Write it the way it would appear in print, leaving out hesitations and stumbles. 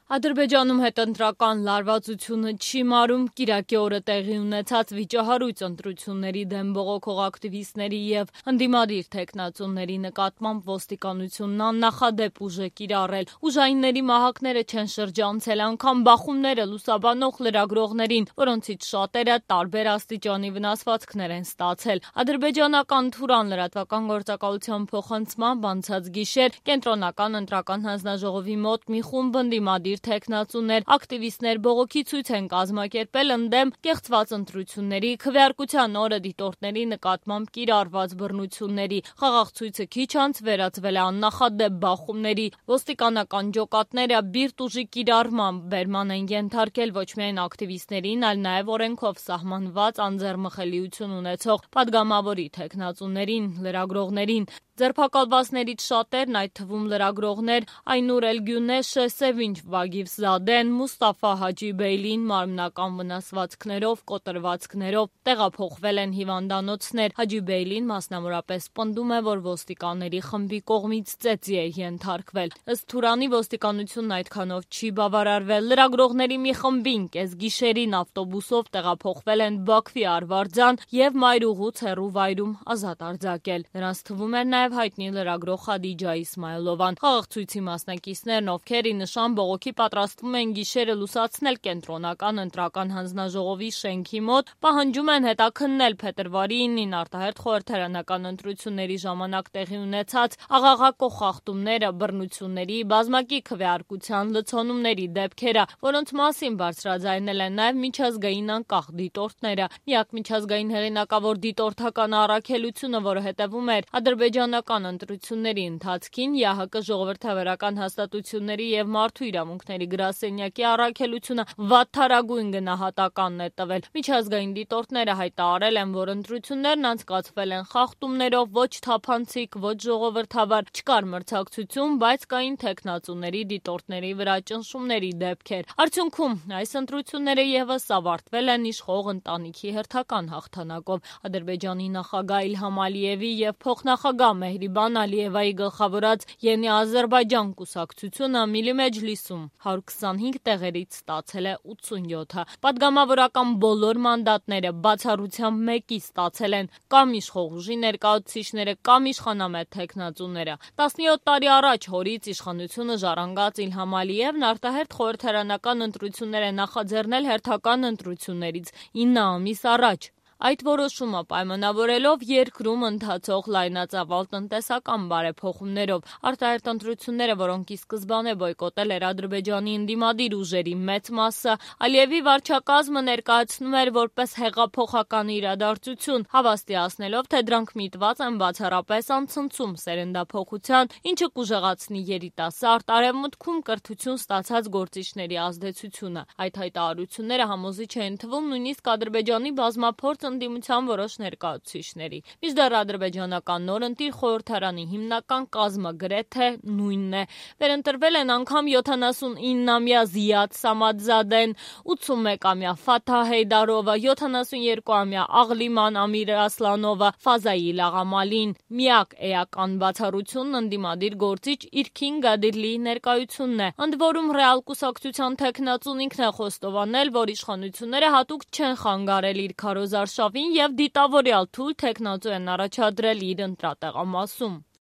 Ադրբեջանում հետընտրական լարվածությունը չի մարում, կիրակի օրը տեղի ունեցած վիճահարույց ընտրությունների դեմ բողոքող ակտիվիստների և ընդդիմադիր թեկնածուների նկատմամբ ոստիկանությունն աննախադեպ ուժ է կիրառել։ Ուժայինների մահակները չեն շրջանցել անգամ բախումները լուսաբանող լրագրողներին, որոնցից շատերը տարբեր աստիճանի վնասվածքներ են ստացել։ Ադրբեջանական Թուրան լրատվական գործակալության փոխանցմամբ անցած գիշեր կենտրոնական ընտրական հանձնաժողովի մոտ մի խումբ ընդդիմադիր թեկնածուներ, ակտիվիստներ բողոքի ցույց են կազմակերպել ընդդեմ կեղծված ընտրությունների, քվեարկության օրը դիտորդների նկատմամբ կիրառված բռնությունների։ Խաղաղ ցույցը քիչ անց վերածվել է աննախադեպ բախումների։ Ոստիկանական ջոկատները բիրտ ուժի կիրառմամբ բերման են ենթարկել ոչ միայն ակտիվիստներին, այլ նաև օրենքով սահմանված անձեռմխելիություն ունեցող падգամավորի թեկնածուներին, լրագրողներին։ Ձերբակալվածներից շատերն, այդ թվում լրագրողներ Այնուր Էլգյունեշը, Սևինչ Վագիվզադեն, Մուստաֆա Հաջիբեյլին մարմնական վնասվածքներով, կոտրվածքներով տեղափոխվել են հիվանդանոցներ։ Հաջիբեյլին մասնավորապես պնդում է, որ ոստիկանների խմբի կողմից ծեծի է ենթարկվել։ Ըստ Թուրանի ոստիկանությունն այդքանով չի բավարարվել։ Լրագրողների մի խմբին կեսգիշերին ավտոբուսով տեղափոխվել են Բաքվի Արվարձան և մայրուղուց հեռու վայրում ազատ արձակել։ Նրանց թվում էր նաև հայտնի լրագրող Խադիջա Իսմայլովան։ Խաղաղ ցույցի մասնակիցներն, ովքեր ի նշան բողոքի պատրաստվում են գիշերը լուսացնել կենտրոնական ընտրական հանձնաժողովի շենքի մոտ, պահանջում են հետաքննել փետրվարի 9-ին արտահերթ խորհրդարանական ընտրությունների ժամանակ տեղի ունեցած աղաղակող խախտումները, բռնությունների, բազմակի քվեարկության, լցոնումների դեպքերը, որոնց մասին բարձրաձայնել են նաև միջազգային անկախ դիտորդները։ Միակ միջազգային հեղինակավոր դիտորդական առաքելությունը, որը հետևում էր ադրբեջանական ընտրությունների ընթացքին, ԵԱՀԿ ժողովրդավարական հաստատությունների և մարդու իրավունքների գրասենյակի առաքելությունը վատթարագույն գնահատականն է տվել։ Միջազգային դիտորդները հայտարարել են, որ ընտրություններն անցկացվել են խախտումներով, ոչ թափանցիկ, ոչ ժողովրդավար, չկար մրցակցություն, բայց կային թեկնածուների, դիտորդների վրա ճնշումների դեպքեր։ Արդյունքում այս ընտրությունները ևս ավարտվել են իշխող ընտանիքի հերթական հաղթանակով։ Ադրբեջանի նախագահ Իլհամ Ալիևի և փոխնախագահ Մեհրիբան Ալիևայի գլխավորած Ենի Ադրբեջան կուսակցությունը Միլի Մեջլիսում 125 տեղերից ստացել է 87-ը։ Պատգամավորական բոլոր մանդատները բացառությամբ մեկի ստացել են կամ իշխող ուժի ներկայացուցիչները, կամ իշխանամետ թեկնածուները։ 17 տարի առաջ հորից իշխանությունը ժառանգած Իլհամ Ալիևն արտահերթ խորհրդարանական ընտրություններ է նախաձեռնել հերթական ընտրություններից 9 ամիս առաջ։ Այդ որոշումը պայմանավորելով երկրում ընթացող լայնածավալ տնտեսական բարեփոխումներով, արտահերթ ընտրությունները, որոնք ի սկզբանե բոյկոտել էր Ադրբեջանի ընդդիմադիր ուժերի մեծ մասը, Ալիևի վարչակազմը ներկայացնում էր որպես հեղափոխական իրադարձություն, հավաստիացնելով, թե դրանք միտված են բացառապես անցնցում սերնդափոխության, ինչը կուժեղացնի երիտասարդ, արևմուտքում կրթություն ստացած գործիչների ազդեցությունը։ Այդ հայտարարությունները համոզիչ էին թվում նույնիսկ Ադրբեջանի բազմափորձ ընդդիմության որոշ ներկայացուցիչների։ Մինչդեռ ադրբեջանական նորընտիր խորհրդարանի հիմնական կազմը գրեթե նույնն է։ Վերընտրվել են անգամ 79-ամյա Զիադ Սամադզադեն, 81-ամյա Ֆաթահ Հեյդարովը, 72-ամյա Աղլիման Ամիր Ասլանովը, Ֆազայիլ Աղամալին։ Միակ էական բացառությունն ընդդիմադիր գործիչ Իրքին Գադիրլիի ներկայությունն է։ Ընդ որում ռեալ կուսակցության թեկնածուն ինքն է խոստովանել, որ իշխանությունները հատուկ չեն խանգարել իր քարոզարշավին և դիտավորյալ թույլ թեկնածու են առաջադրել իր ընտրատեղամասում։